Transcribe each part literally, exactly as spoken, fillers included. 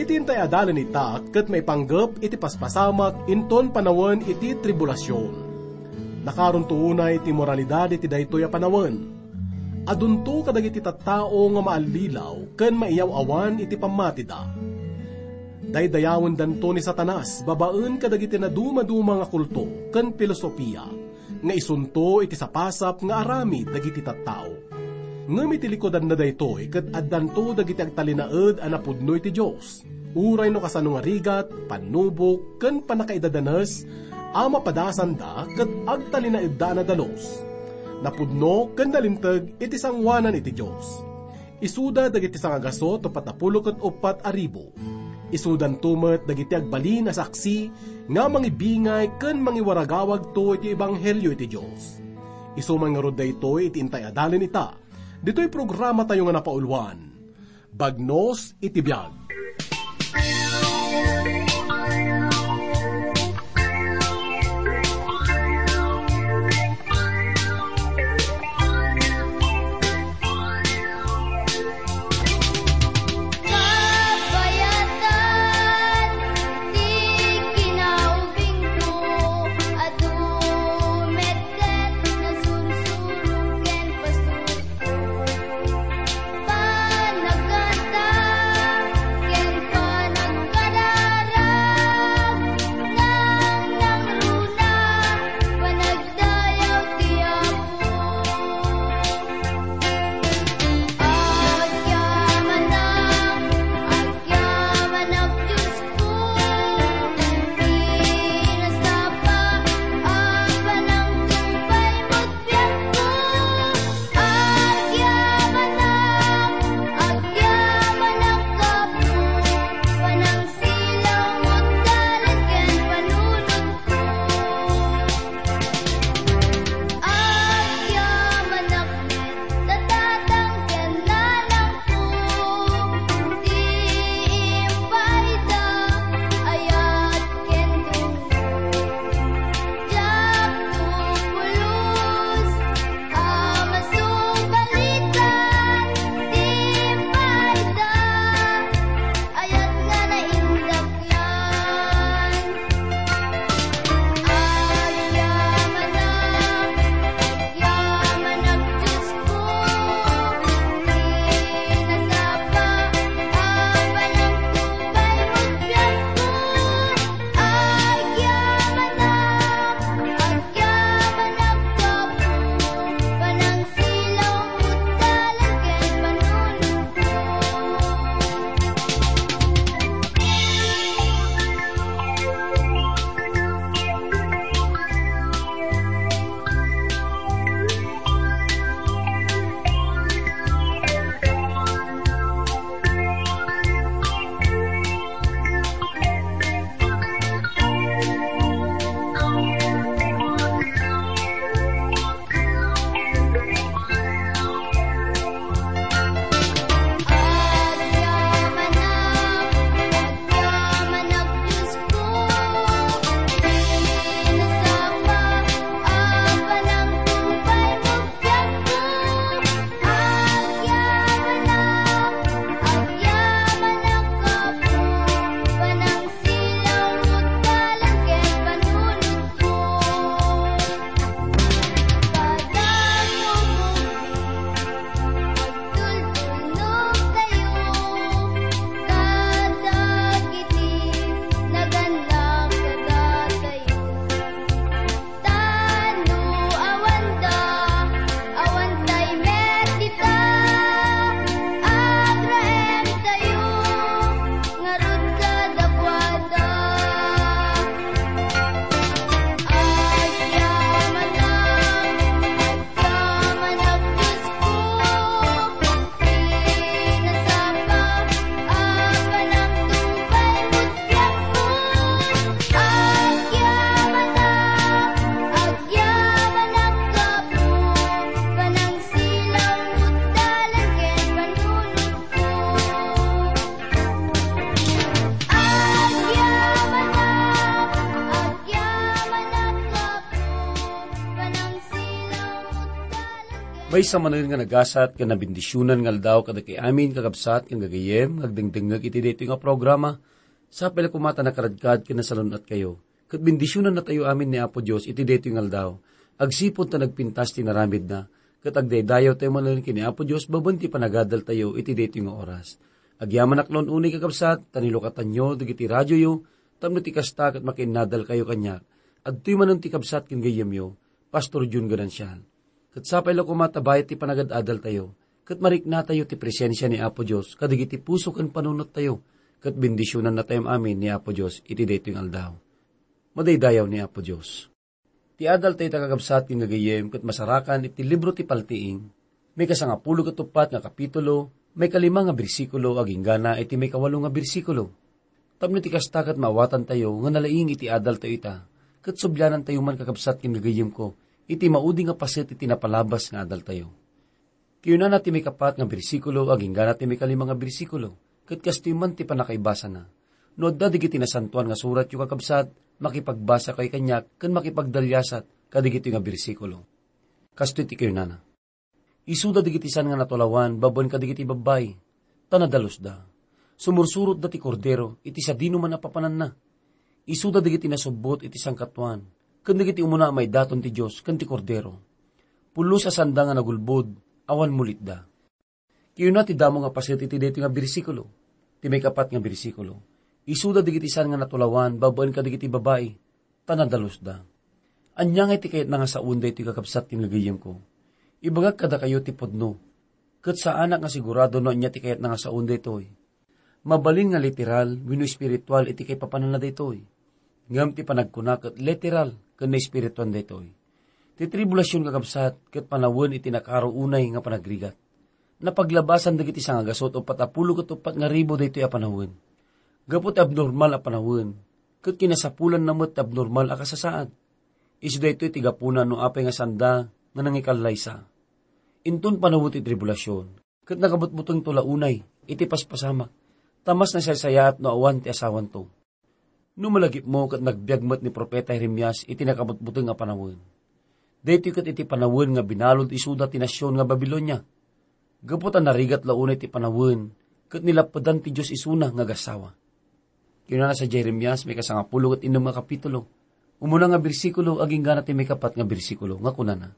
Iti intay a dalin ita ket maipanggep iti paspasamak inton panawen iti tribulasion. Nakaronto unay ti moralidad iti daytoy a panawen. Adunto kadagiti tattao nga maallilaw ken maiyaw-awan iti pammatida. Daydayawendanto ni Satanas babaen kadagiti nadumaduma nga kulto ken filosofia nga isunto iti sapasap nga aramid dagiti tattao. Ngem iti likudanna daytoy ket addanto dagiti agtalinaed a napudno iti Dios, uray no kasano nga rigat, pannubok, ken pannakaidadanes a mapadasanda ket agtalinaedda a nadalus, napudno ken nalinteg iti sangoanan iti Dios. Isuda dagiti sangagasut uppat a pulo ket uppat a ribu. Isudanto met dagiti agbalin a saksi nga mangibingay ken mangiwaragawagto iti ebanghelio iti Dios. Isu man ngarud daytoy iti intay a dalin ita, ditoy programatayo nga napauluan, Bagnos iti Biag. Kabayatan ti kinaubingko a dumetdet, nasursuro ken pasurko. Panagkanta ken panagkararag. Maysa manen nga nagasat ken nabendisionan nga aldaw kadagiti amin, kakabsat ken gagayyem, nga agdengdengngeg iti daytoy nga programa. Sapay la koma ta nakaradkad ken nasalun-atkayo, ket bendisionannatayo amin ni Apo Dios iti daytoy nga aldaw, agsipud ta nagpintas ti inaramidna, ket agdaydayaw tayo manen ken ni Apo Dios babaen ti panagadaltayo iti daytoy nga oras. Agyamanak laeng unay, kakabsat, ta nilukatanyo dagiti radioyo, tapno ti kasta ket makiinnadalkayo kaniak. Adtoy manen ti kabsat ken gayyemyo, Pastor Jun Ganancial. Ket sapay la koma ta bayat ti panagad-adaltayo, ket mariknatayo ti presensia ni Apo Dios kadagiti puso ken panunottayo, ket bendisionannatayo amin ni Apo Dios iti daytoy nga aldaw. Madaydayaw ni Apo Dios. Ti adaltayo ta, kakabsat ken gagayyem, ket masarakan iti libro ti Paltiing, maikasangapulo ket uppat nga kapitulo, maikalima nga bersikulo, aginggana iti maikawalo nga bersikulo. Tapno ti kasta ket maawatantayo nga nalaing iti adaltayo ita, ket sublianantayo man, kakabsat ken gagayyemko, iti maudi nga paset iti napalabas nga adaltayo. Kinunana ti maikapat nga bersikulo aginggana ti maikalima nga bersikulo, ket kastoy man ti pannakaibasana. No adda dagiti nasantoan nga suratyo, kakabsat, makipagbasakayo kaniak ken makipagdaliasat kadagitoy nga bersikulo. Kastoy ti kinunana: Isuda dagiti san nga natulawan babaen kadagiti babbai, ta nadalusda. Sumursurotda ti Kordero iti sadinoman a papananna. Isuda dagiti nasubbot iti sangkatuan, ken dagiti umuna a maidaton ti Dios ken ti Kordero. Pulos a sanda nga nagulbod, awan mulitda. Kinuna ti damo nga paset iti daytoy nga bersikulo, ti maikapat nga bersikulo: Isuda dagiti san nga natulawan babaen kadagiti babbai, ta nadalusda. Ania ngay ti kayatna nga saon daytoy, kakabsat ken gagayyemko? Ibagak kadakayo ti pudno, ket saanak nga sigurado no ania ti kayatna nga saon daytoy. Mabalin nga literal wenno espiritual iti kaipapananna daytoy. Ngem ti panagkuna ket literal ken naespirituan daytoy. Ti tribulasion, kakabsat, ket panawen iti nakaro unay nga panagrigat. Napaglabasan dagiti sangagasut o patapulo ket uppat nga ribu daytoy a panawen. Gapu ti abnormal a panawen, ket kinasapulanna met ti abnormal a kasasaad. Isu daytoy ti gapuna no apay nga sanda nga nangikallaysa. Inton panawen ti tribulasion, ket nakabutbutengto la unay iti paspasamak, ta mas nasaysayaat no awan ti asawanto. No malagipmo ket nagbiag met ni profeta Jeremias iti nakabutbuteng a panawen. Daytoy ket iti panawen nga binalud isuda ti nasion nga Babilonia. Gapu ta narigat la unay ti panawen, ket nilappedan ti Dios isuna nga agassawa. Kinunana sadiay Jeremias, maikasangapulo ket innem nga kapitulo. Umuna nga bersikulo, aginggana ti maikapat nga bersikulo, nga kunana: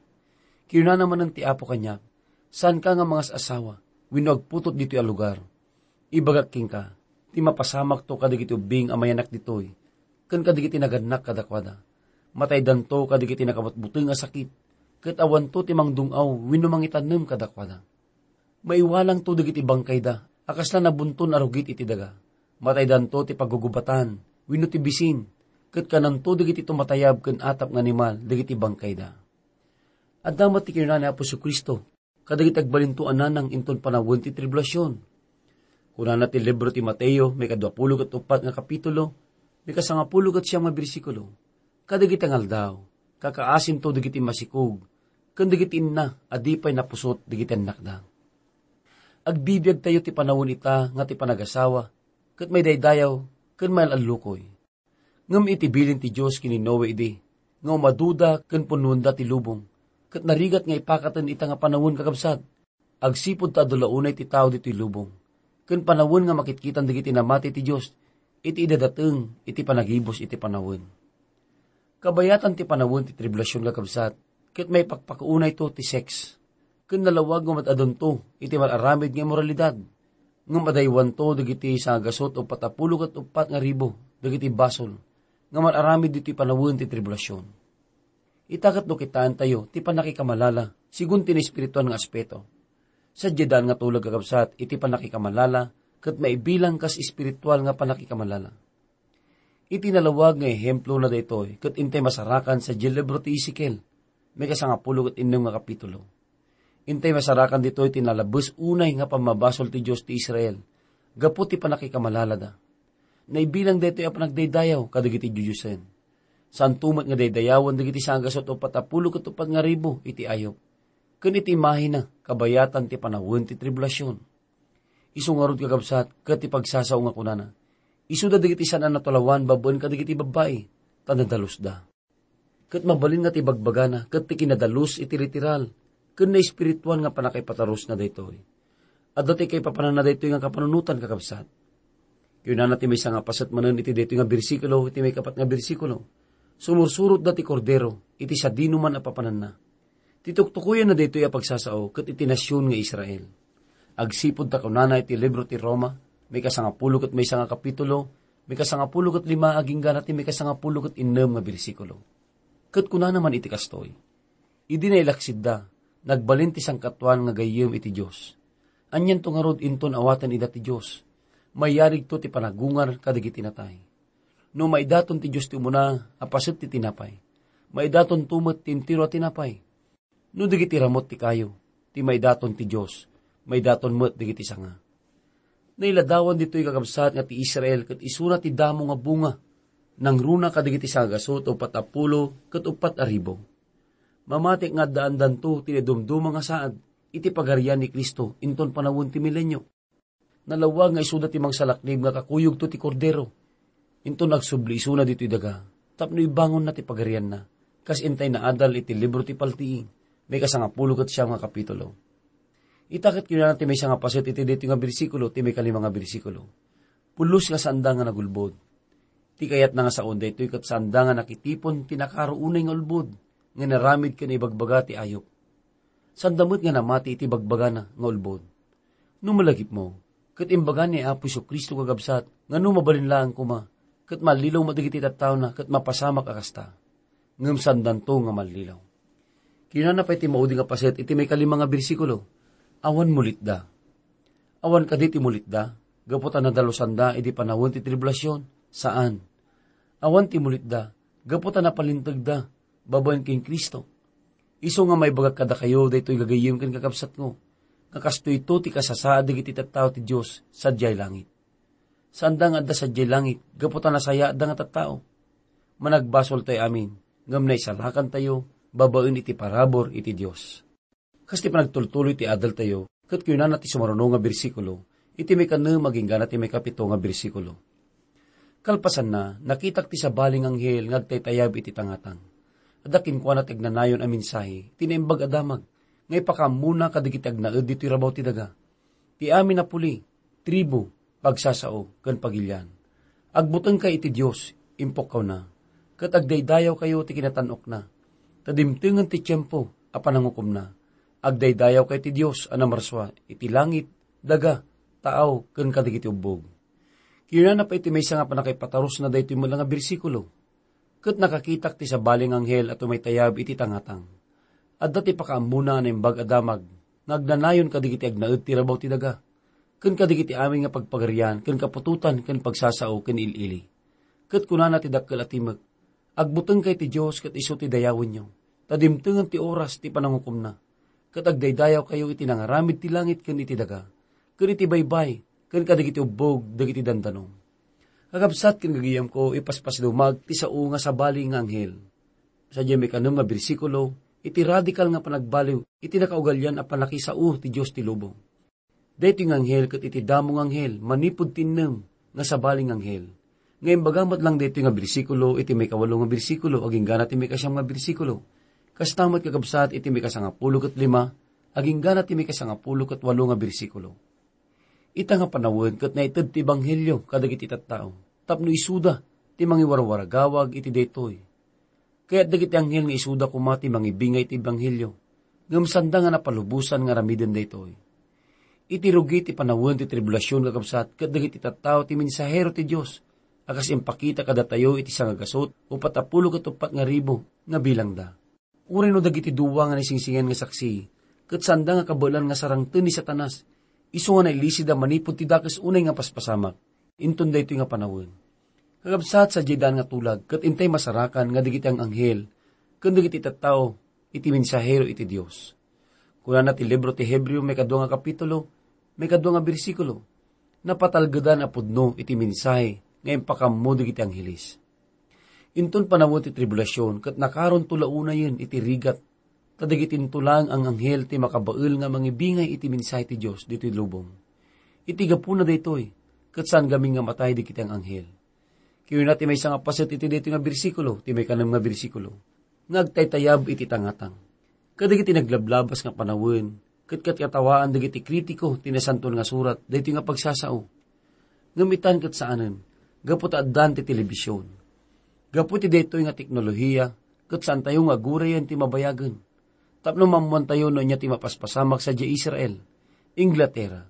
Kinunana manen ti Apo kaniak, saanka nga mangas-asawa, wenno agputot ditoy a lugar. Ibagak kenka, ti mapasamakto kadagiti ubbing a mayanak ditoy, ken kadagiti nagannak kadakuada. Mataydanto kadagiti nakabutbuteng a sakit, ket awanto ti mangdung-aw wenno mangitanem kadakuada. Maiwalangto dagiti bangkayda a kasla nabunton a rugit iti daga. Mataydanto ti pagugubatan wenno ti bisin, ket kananto dagiti tumatayab ken atap nga animal dagiti bangkayda. Adda met ti kinuna ni Apo Jesu-Cristo kadagiti agbalinto a nanang inton panawen ti tribulasion. Kunana ti libro ti Mateo, maikadua pulo ket uppat nga kapitulo, maikasangapulo ket siam nga bersikulo: Kadagiti nga aldaw, kakaasinto dagiti masikog ken dagiti inna a di pay napusot dagiti annakda. Agbibiagtayo ti panawen ita nga ti panagasawa, ket maidaydayaw ken maal-allukoy. Ngem iti bilin ti Dios ken ni Noe idi nga umaduda ken punnoenda ti lubong, ket narigat nga ipakaten ita nga panawen, kakabsat, agsipud ta adu la unay ti tao ditoy lubong, ken panawen nga makitkitan dagiti namati ti Dios iti idadateng iti panagibus iti panawen. Kabayatan ti panawen ti tribulasion, kakabsat, ket maipakpakaunayto ti sex. Ken nalawag nga mad-adunto iti mar-aramid nga immoralidad, ngem adaywanto dagiti sangagasut o patapulo ket uppat nga ribu dagiti basol nga mar-aramid ditoy panawen ti tribulasion. Ita ket no kitaentayo ti pannakikamalala segun ti naespirituan nga aspeto. Sadiay daan nga tulag, kakabsat, iti pannakikamalala ket maibilang kas espiritual nga pannakikamalala. Iti nalawag nga ehemplona daytoy ket intay masarakan sadiay libro ti Ezekiel, maikasangapulo ket innem nga kapitulo. Intay masarakan ditoy ti nalabes unay nga pammabasol ti Dios ti Israel gapu ti pannakikamalala da. Naibilang daytoy a panagdaydayaw kadagiti didiosen. Saanto met nga daydayawen dagiti sangagasut o patapulo ket uppat nga ribu iti ayup. Ken iti imahina, kabayatan ti panawen ti tribulasion. Isu ngarud, kakabsat, ket ti pagsasao nga kunana: Isuda dagiti saan a natulawan babaen kadagiti babbai, ta nadalusda. Ket mabalin nga ti bagbagana ket ti kinadalus iti literal ken naespirituan nga pannakaipatarusna daytoy. Adda ti kaipapananna daytoy nga kapanunotan, kakabsat. Kinunana ti maysa nga paset manen iti daytoy nga bersikulo, iti maikapat nga bersikulo, "Sumursurotda ti Kordero iti sadinoman a papananna." Ti tuktukoyanna daytoy a pagsasao ket iti nasion nga Israel. Agsipud ta kunana iti libro ti Roma, maikasangapulo ket maysa nga kapitulo, maikasangapulo ket lima agingga na ti maikasangapulo ket innem nga bersikulo. Ket kunana man iti kastoy, "Idi nailaksidda, nagbalin ti sangkatuan nga gayyem iti Dios. Anianto ngarud inton awaten ida ti Dios? Mayarigto ti panagungar kadagiti natay." No maidaton ti Dios ti umuna a paset ti tinapay, maidatonto met ti entero a tinapay. No dagiti ramut ti kayo, ti maidaton ti Dios, maidaton met dagiti sanga. Nailadawan ditoy, kakabsat, nga ti Israel ket isuna ti damo nga bunga, nangruna kadagiti sangagasut uppat a pulo ket uppat a ribu. Mamatik nga addaandanto ti naidumduma nga saad iti Pagarian ni Cristo inton panawen ti milenio. Nalawag nga isuda ti mangsalaknib nga kakuyogto ti Kordero. Inton agsubli isuna ditoy daga, tapno ibangonna ti pagarianna, kas intay naadal iti libro ti Paltiing, maikasangapulo ket siam nga kapitulo. Ita ket kinunana ti maysa nga paset iti daytoy nga bersikulo, ti maikalima nga bersikulo, "Pulos nga saanda nga nagulbod." Ti kayatna nga saon daytoy ket saanda nga nakitipon ti nakaro unay nga ulbod nga inaramid ken ibagbaga ti ayup. Sanda met nga namati iti bagbagana nga ulbod. No malagipmo, ket imbaga ni Apo Jesu-Cristo, kakabsat, nga no mabalin laeng koma, ket mallilaw met dagiti tattaona, ket mapasamak a kasta. Ngem sandanto nga mallilaw. Kinunana pay ti maudi nga paset iti maikalima nga bersikulo, "Awan mulitda." Awan kadi ti mulitda gapu ta nadalosanda idi panawen ti tribulasion? Saan. Awan ti mulitda gapu ta napalintegda babaen ken Cristo. Isu nga maibagak kadakayo daytoy gagayyem ken kakabsatko, nga kastoyto ti kasasaad dagiti tattao ti Dios sadiay langit. Saanda nga adda sadiay langit gapu ta nasayaatda nga tattao. Managbasoltayo amin, ngem naisalakantayo babaen iti parabur iti Dios. Kas ti panagtultuloy ti adaltayo, ket kinunana ti sumaruno nga bersikulo, iti maikanem agingga na ti maikapito nga bersikulo. Kalpasanna, nakitak ti sabali nga anghel nga agtaytayab iti tangatang. Adda kenkuana ti agnanayon a mensahe ti Naimbag a Damag nga ipakaammona kadagiti agnaed ditoy rabaw ti daga. Ti amin a puli, tribu, pagsasao, ken pagilian. "Agbutengkay iti Dios," impukkawna, "ket agdaydayawkayo ti kinatan-okna, ta dimtengen ti tiempo a panangukomna. Agdaydayawkay ti Dios a namarsua iti langit, daga, taaw, ken kadagiti ubbog." Kinunana pay iti maysa nga pannakaipatarusna daytoy met la nga bersikulo, "Ket nakakitak ti sabali nga anghel a tumaytayab iti tangatang. Adda ti pakaammona a Naimbag a Damag nga agnanayon kadagiti agnaed ti rabaw ti daga, ken kadagiti amin nga pagpagarian ken kaputotan ken pagsasao ken il-ili. Ket kunana ti dakkel a timek, 'Agbutengkay ti Dios ket isu ti dayawenyo, ta dimtengen ti oras ti panangukomna. Ket agdaydayawkayo iti nangaramid ti langit ken iti daga, ken iti baybay, ken kadagiti ubbog dagiti dandanom.'" Kakabsat ken gagayamko, ipaspasdumag ti sao nga sabali nga anghel. Sadiay maikanem nga bersikulo, iti radikal nga panagbaliw iti nakaugalian a pannakisao ti Dios ti lubong. Daytoy nga anghel ket iti damo nga anghel manipud ti innem nga sabali nga anghel, nga imbaga met lang daytoy nga bersikulo iti maikawalo nga bersikulo agingga na ti maikasiam nga bersikulo. Kasta met, kakabsat, iti maikasangapulo ket lima agingga na ti maikasangapulo ket walo nga bersikulo. Ita nga panawen ket naited ti ebanghelio kadagiti tattao tapno isuda ti mangiwarwaragawag iti daytoy. Kayat dagiti anghel nga isuda koma ti mangibingay iti ebanghelio, ngem sanda nga napalubosan nga aramiden daytoy. Iti rugi ti panawen ti tribulasion, kakabsat, ket dagiti tattao ti mensahero ti Dios a kas impakita kadatayo iti sangagasut uppat a pulo ket uppat nga ribu nga bilangda. Uray no dagiti dua nga naisingsingen nga saksi, ket sanda nga kabaelan nga sarangten ni Satanas, isu nga nailisida manipud ti dakes unay nga paspasamak, inton daytoy nga panawen. Kakabsat, sadiay daan nga tulag, ket intay masarakan nga dagiti ang-anghel ken dagiti tattao iti mensahero iti Dios. Kunana ti libro ti Hebreo, maikadua nga kapitulo, maikadua nga bersikulo, "Napatalgedan a pudno iti mensahe nga impakaammo dagiti angheles." Inton panawen ti tribulasion, ket nakaronto la unayen iti rigat, ta dagitinto laeng ang-anghel ti makabael nga mangibingay iti mensahe ti Dios ditoy lubong. Iti gapuna daytoy, ket saan gamin nga matay dagiti ang-anghel. Kinuna ti maysa nga paset iti daytoy nga bersikulo, ti maikanem nga bersikulo, nga agtaytayab iti tangatang. Kadagiti naglablabas nga panawen, ket katkatawaan dagiti kritiko ti Nasantoan nga Surat daytoy nga pagsasao. Ngem itan ket saanen, gapu ta addan ti telebision. Gapu iti daytoy nga teknolohiya, ket saantayo nga agurayen ti mabayagen. Tapno maammoantayo no ania ti mapaspasamak sadiay Israel, Inglaterra,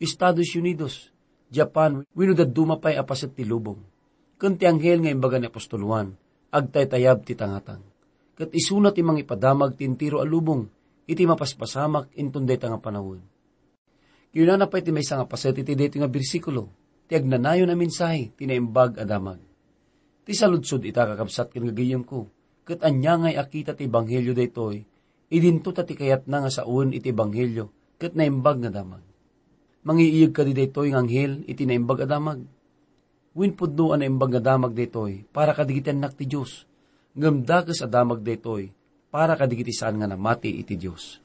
Estados Unidos, Japan, wenno dadduma pay a paset ti lubong. Ken ti anghel nga imbaga ni apostol Juan, agtaytayab ti tangatang. Ket isuna ti mangipadamag ti entero a lubong iti mapaspasamak inton dayta nga panawen. Kinunana pay ti maysa nga paset iti daytoy nga bersikulo, ti agnanayon a mensahe ti naimbag a damag. Ti saludsod ita, kakabsat ken gagayyemko, ket ania ngay a kita ti ebanghelio daytoy, idinto ta ti kayatna nga sawen iti ebanghelio ket naimbag nga damag. Mangiiyeg kadi daytoy nga anghel iti naimbag a damag? Wen pudno a naimbag nga damag daytoy para kadagiti annak ti Dios, ngem dakes a damag daytoy para kadagiti saan nga namati iti Dios.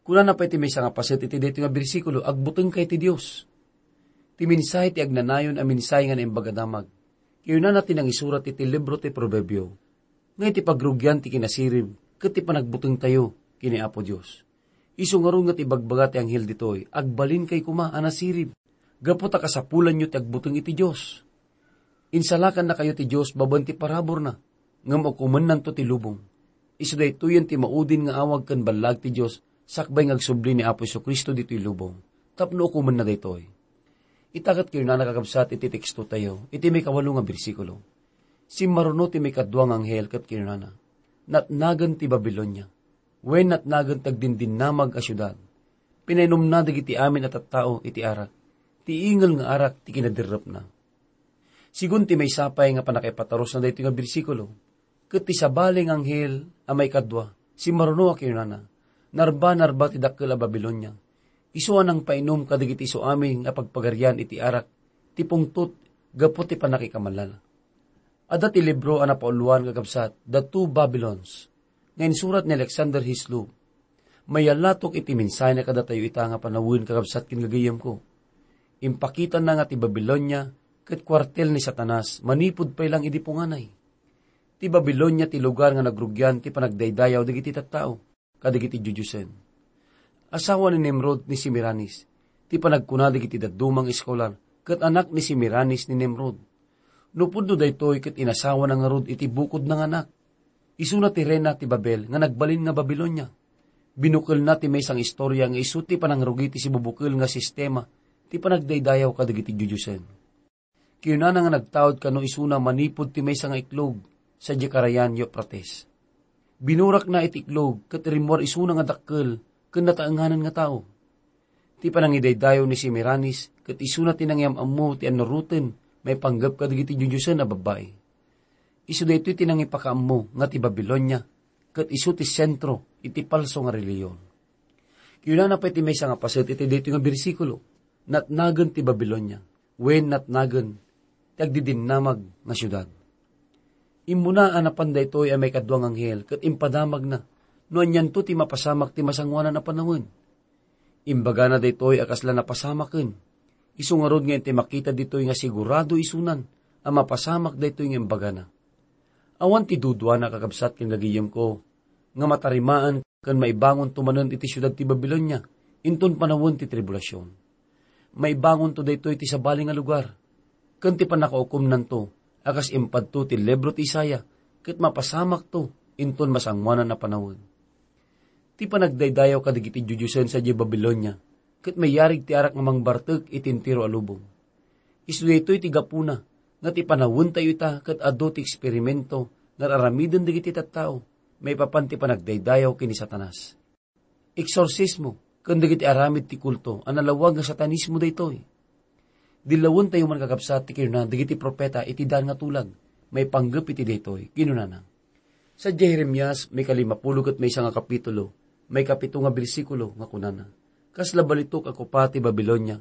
Kunana pay ti maysa nga paset iti daytoy nga bersikulo, "Agbutengka iti Dios." Ti mensahe ti agnanayon a mensahe nga naimbag a damag. Kinunana ti nangisurat iti libro ti Proverbio, nga iti pagrugian ti kinasirib ket ti panagbutengtayo ken ni Apo Dios. Isu ngarud nga ti ibagbaga ti anghel ditoy, "Agbalinkayo koma a nasirib, gapu ta kasapulanyo ti agbuteng iti Dios." Insalakannakayo ti Dios babaen ti paraburna, ngem ukomennanto ti lubong. Isu daytoyen ti maudin nga awag ken ballaag ti Dios sakbay nga agsubli ni Apo Jesu-Cristo ditoy lubong, tapno ukomenna daytoy. Ita ket kinunana, kakabsat, iti tekstotayo, iti maikawalo nga bersikulo, "Simmaruno ti maikadua nga anghel ket kinunana, 'Natnagen ti Babilonia, wen natnagen ti agdindinnamag a siudad. Pinainumna dagiti amin a tattao iti arak, ti ingel nga arak ti kinaderrepna.'" Sigun ti maysa pay nga pannakaipatarusna daytoy nga bersikulo, ket ti sabali nga anghel a maikadua, simmaruno a kinunana, "Narba, narba ti dakkel a Babilonia. Isu a nangpainum kadagiti isu amin nga pagpagarian iti arak ti pungtot gapu ti pannakikamalala." Adda ti libro a napauluan, kakabsat, The Two Babylons, nga insurat ni Alexander Hislop. Mayalatok iti mensahena kadatayo ita nga panawen, kakabsat ken gagayyemko. Impakitanna nga ti Babilonia ket kuartel ni Satanas manipud pay lang idi punganay. Ti Babilonia ti lugar nga nagrugian ti panagdaydayaw dagiti tattao kadagiti diodiosen. Asawa ni Nimrod ni Semiramis, ti panagkuna dagiti dadduma nga eskolar, ket anak ni Semiramis ni Nimrod. No pudno daytoy ket inasawana ngarud iti bukodna nga anak. Isuna ti reyna ti Babel nga nagbalin nga Babilonia. Binukelna ti maysa nga istoria nga isu ti panangrugi ti sibubukel nga sistema ti panagdaydayaw kadagiti diodiosen. Kinunana nga nagtaud kano isuna manipud ti maysa nga iklog sadiay karayan Euphrates. Binurakna iti iklog ket rimmuar isuna nga dakkel ken nataenganan nga tao. Ti panangidaydayaw ni Semiramis ket isuna ti nangiyam-ammo ti annuroten maipanggep kadagiti diodiosen a babbai. Isu daytoy ti nangipakaammo nga ti Babilonia ket isu ti sentro iti palso nga relihiyon. Kinunana pay ti maysa nga paset iti daytoy nga bersikulo, "Natnagen ti Babilonia, wen natnagen ti agdidinnamag nga siudad." Immuna a napan daytoy a maikadua nga anghel ket impadamagna no anianto ti mapasamak ti masangoanan a panawen. Imbagana daytoy a kasla napasamaken. Isu ngarud nga intay makita ditoy nga sigurado isunan a mapasamak daytoy nga imbagana. Awan ti duduana, kakabsat ken gagayyemko, nga matarimaan ken maibangonto manen iti siudad ti Babilonia inton panawen ti tribulasion. Maibangonto daytoy ti sabali nga lugar, ken ti pannakaukomnanto a kas impadto ti libro ti Isaiah, ket mapasamakto inton masangoanan a panawen. Ti panagdaydayaw kadagiti diodiosen sadiay Babilonia ket mayarig ti arak nga mangbartek iti entero a lubong. Isu daytoy ti gapuna nga ti panawentayo ita ket adu ti eksperimento nga ar-aramiden dagiti tattao maipapan ti panagdaydayaw ken ni Satanas. Eksorsismo ken dagiti aramid ti kulto a nalawag nga satanismo daytoy. Dillawentayo man, kakabsat, ti kinuna dagiti profeta iti daan nga tulag maipanggep iti daytoy. Kinunana, sadiay Jeremias, maikalimapulo ket maysa nga kapitulo, maikapito nga bersikulo, nga kunana, "Kasla balitok a kopa ti Babilonia,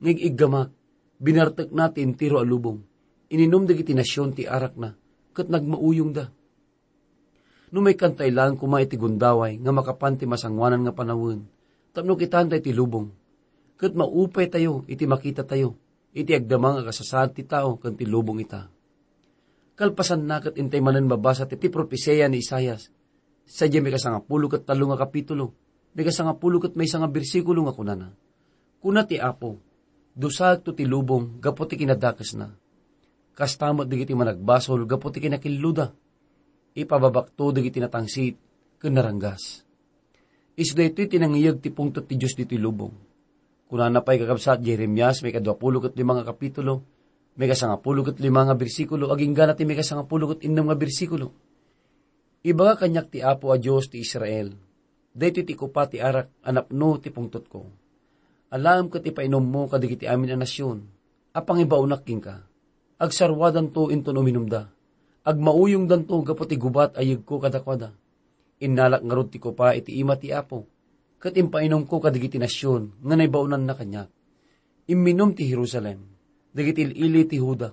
nga ig-iggamak, binartekna ti entero a lubong, ininum dagiti nasion ti arakna, ket nagmauyongda." No maikkantayo laeng koma iti gundaway nga makapan ti masangoanan nga panawen, tapno kitaentayo ti lubong, ket maupaytayo iti makitatayo iti agdama nga kasasaad ti tao ken ti lubong ita. Kalpasanna ket intay manen mabasa ti, ti propesia ni Isaias Sadiay mikasangapulo ket tallo nga kapitulo, mikasangapulo ket maysa nga bersikulo nga kunana, "Kuna ti Apo, 'Dusaekto ti lubong gapu ti kinadakesna. Kasta met dagiti managbasol gapu ti kinakilluda. Ipababakto dagiti natangsit ken naranggas.'" Isu daytoy ti nangiyeg ti pungtot ti Dios ditoy lubong. Kunana pay kakabsat Jeremias, may kaduapulo ket lima nga kapitulo, may kasangapulo ket lima nga bersikulo, agingga na ti may kasangapulo ket innem nga bersikulo, "Ibaga kaniak ti Apo a Dios ti Israel, 'Daytoy ti kupa ti arak a napno ti pungtotko. Alaem ket ipainummo kadagiti amin a nasion a pangibaonak kenka. Agsaruadanto inton uminumda. Agmauyongdanto gapu ti gubat a yegko kadakuada. Innalak ngarud ti kupa iti ima ti Apo, ket impainumko kadagiti nasion nga naibaonanna kaniak. Imminum ti Jerusalem, dagiti il-ili ti Juda,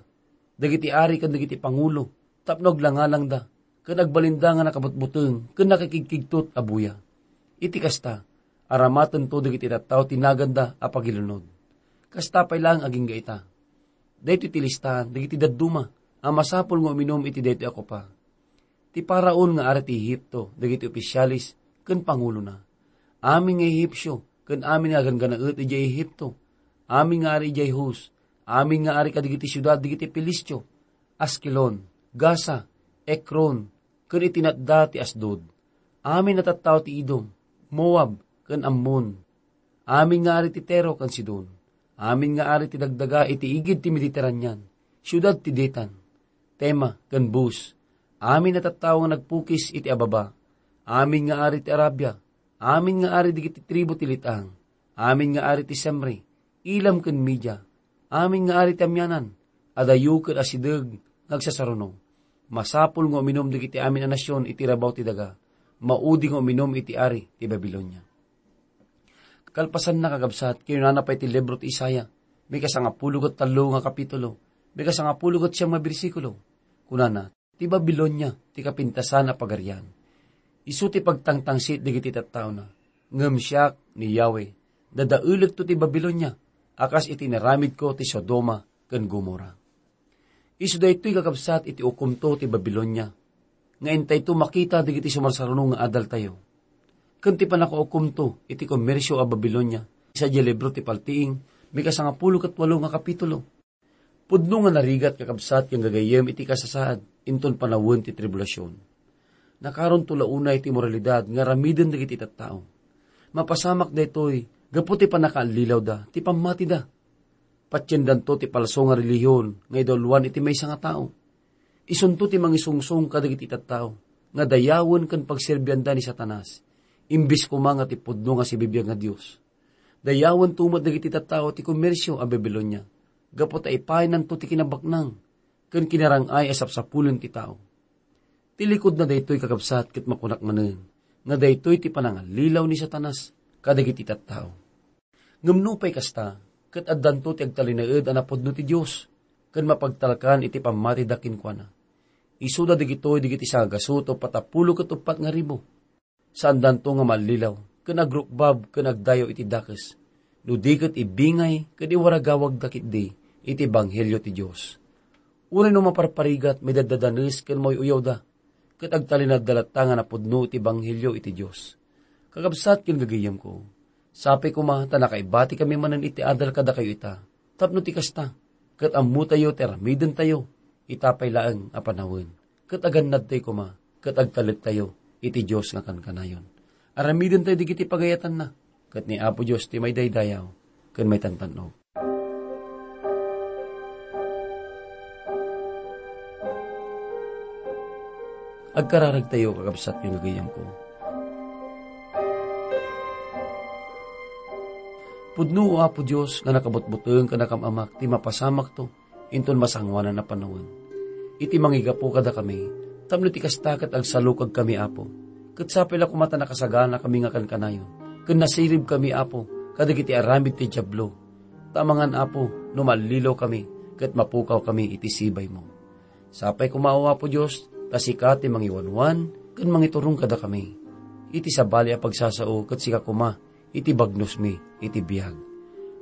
dagiti ari ken dagiti pangulo, tapno aglangalangda, ken agbalinda nga nakabutbuteng ken nakikigkigtot a buya. Iti kasta, aramatento dagiti tattao ti naganda a pagilunod.'" Kasta pay laeng agingga ita. Daytoy ti listaan dagiti dadduma a masapul nga uminum iti daytoy a kupa. Ti Faraon nga ari ti Egipto, dagiti opisialis ken pangulona, amin nga Ehipsio, ken amin nga agangganaet idiay Egipto, amin nga ari idiay Hus, amin nga ari kadagiti siudad dagiti Filistio, Askelon, Gaza, Ekron, ken iti natda ti Asdod, amin a tattao ti Edom, Moab, ken Ammon, amin nga ari ti Tiro ken Sidon, amin nga ari ti dagdaga iti igid ti Mediterranean, siudad ti Detan, Tema ken Bus, amin a tattao nga nagpukis iti ababa, amin nga ari ti Arabia, amin nga ari dagiti tribu ti let-ang, amin nga ari ti Semri, Elam ken Media, amin nga ari ti amianan, adayo ken asideg nga agsasaruno. Masapul nga uminum dagiti amin a nasion iti rabaw ti daga, maudi nga uminum iti ari ti Babilonia. Kalpasanna, kakabsat, kinunana pay ti libro ti Isaiah, may kasangapulo ket tallo nga kapitulo, may kasangapulo ket siam nga bersikulo. Kunana, "Ti Babilonia ti kapintasan a pagarian. Isu ti pagtangtangsit dagiti tattaona. Ngem siak, ni Yahweh, dadaelekto ti Babilonia a kas iti inaramidko ti Sodoma ken Gomorra." Isu daytoy, kakabsat, iti ukomto ti Babilonia, nga intayto makita dagiti sumarsaruno nga adaltayo, ken ti pannakaukomto iti komersio a Babilonia, sadiay libro ti Paltiing, may kasangapulo ket walo nga kapitulo. Pudno nga narigat, kakabsat, ken gagayyem iti kasasaad inton panawen ti tribulasion. Nakaronto la unay ti moralidad nga aramiden dagiti tattao. Mapasamak daytoy gapu ti pannakaallilawda ti pammatida. Patiendanto ti palso nga relihiyon nga idawluan iti maysa nga tao. Isunto ti mangisungsong kadagiti tattao nga dayawen ken pagserbianda ni Satanas, imbes koma nga ti pudno nga sibibiag nga Dios. Dayawento met dagiti tattao ti komersio a Babilonia, gapu ta ipaynanto ti kinabaknang ken kinarang-ay a sapsapulen ti tao. Ti likudna daytoy, kakabsat, ket makunak manen nga daytoy ti panangallilaw ni Satanas kadagiti tattao. Ngem nupay kasta, ket addanto ti agtalinaed a napudno ti Dios ken mapagtalkan iti pammatida kenkuana. Isuda dagitoy dagiti sangagasut o patapulo ket uppat nga ribu. Saandanto nga maallilaw ken agrukbab ken agdayaw iti dakes, no di ket ibingay ken iwaragawagda ketdi iti ebanghelio ti Dios. Uray no maparparigat, maidaddadanes ken mauy-uyawda, ket agtalinaedda latta nga napudno iti ebanghelio iti Dios. Kakabsat ken gagayyemko, sapay koma ta nakaibatikami manen iti adal kadakayo ita, tapno ti kasta, ket ammotayo ti aramidentayo ita pay laeng a panawen, ket agannadtayo koma, ket agtalektayo iti Dios nga kankanayon. Aramidentayo dagiti pagayatanna, ket ni Apo Dios ti maidaydayaw ken maitantan-ok. Agkararagtayo, kakabsat ken gagayyemko. Pudno, O Apo Dios, nga nakabutbuteng ken nakam-amak ti mapasamakto inton masangoanan a panawen. Iti mangigapu kadakami, tapno ti kasta ket agsalukagkami, Apo, ket sapay la koma ta nakasaganakami nga kankanayon, ken nasiribkami, Apo, kadagiti aramid ti Diablo. Ta amangan, Apo, no mallilawkami ket mapukawkami iti sibaymo. Sapay koma, O Apo Dios, ta sika ti mangiwanwan ken mangiturong kadakami iti sabali a pagsasao, ket sika koma iti bagnosmi iti biag.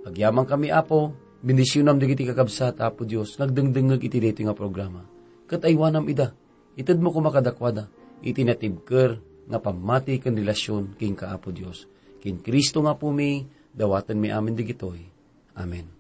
Agyamankami, Apo, bendisionam dagiti kakabsat, Apo Dios, nga agdengdengngeg iti daytoy nga programa, ket aywanam ida. Itedmo koma kadakuada iti natibker nga pammati ken relasion kenka, Apo Dios. Ken Cristo nga Apumi, dawatenmi amin digitoy. Amen.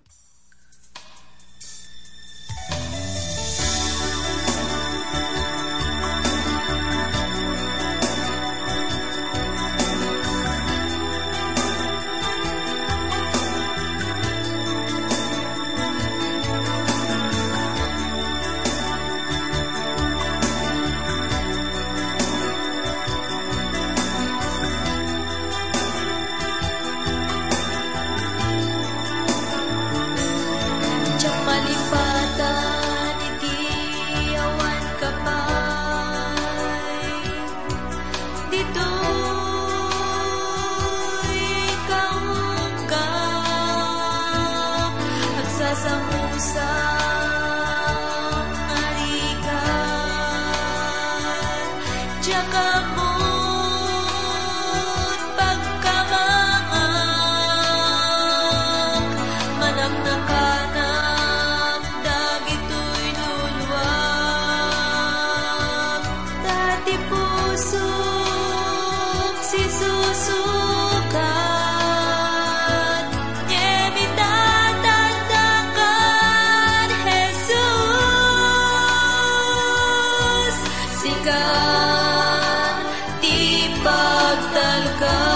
Diak malipatan iti awan ka pay. Ditoy kaungga, agsasamusam a rigat, diak ammon pagkamangak, manaknakanak dagitoy luluam. Ta ti pusok sisusukat, ngem itatanda kan Jesus. Sika ti pagtalka.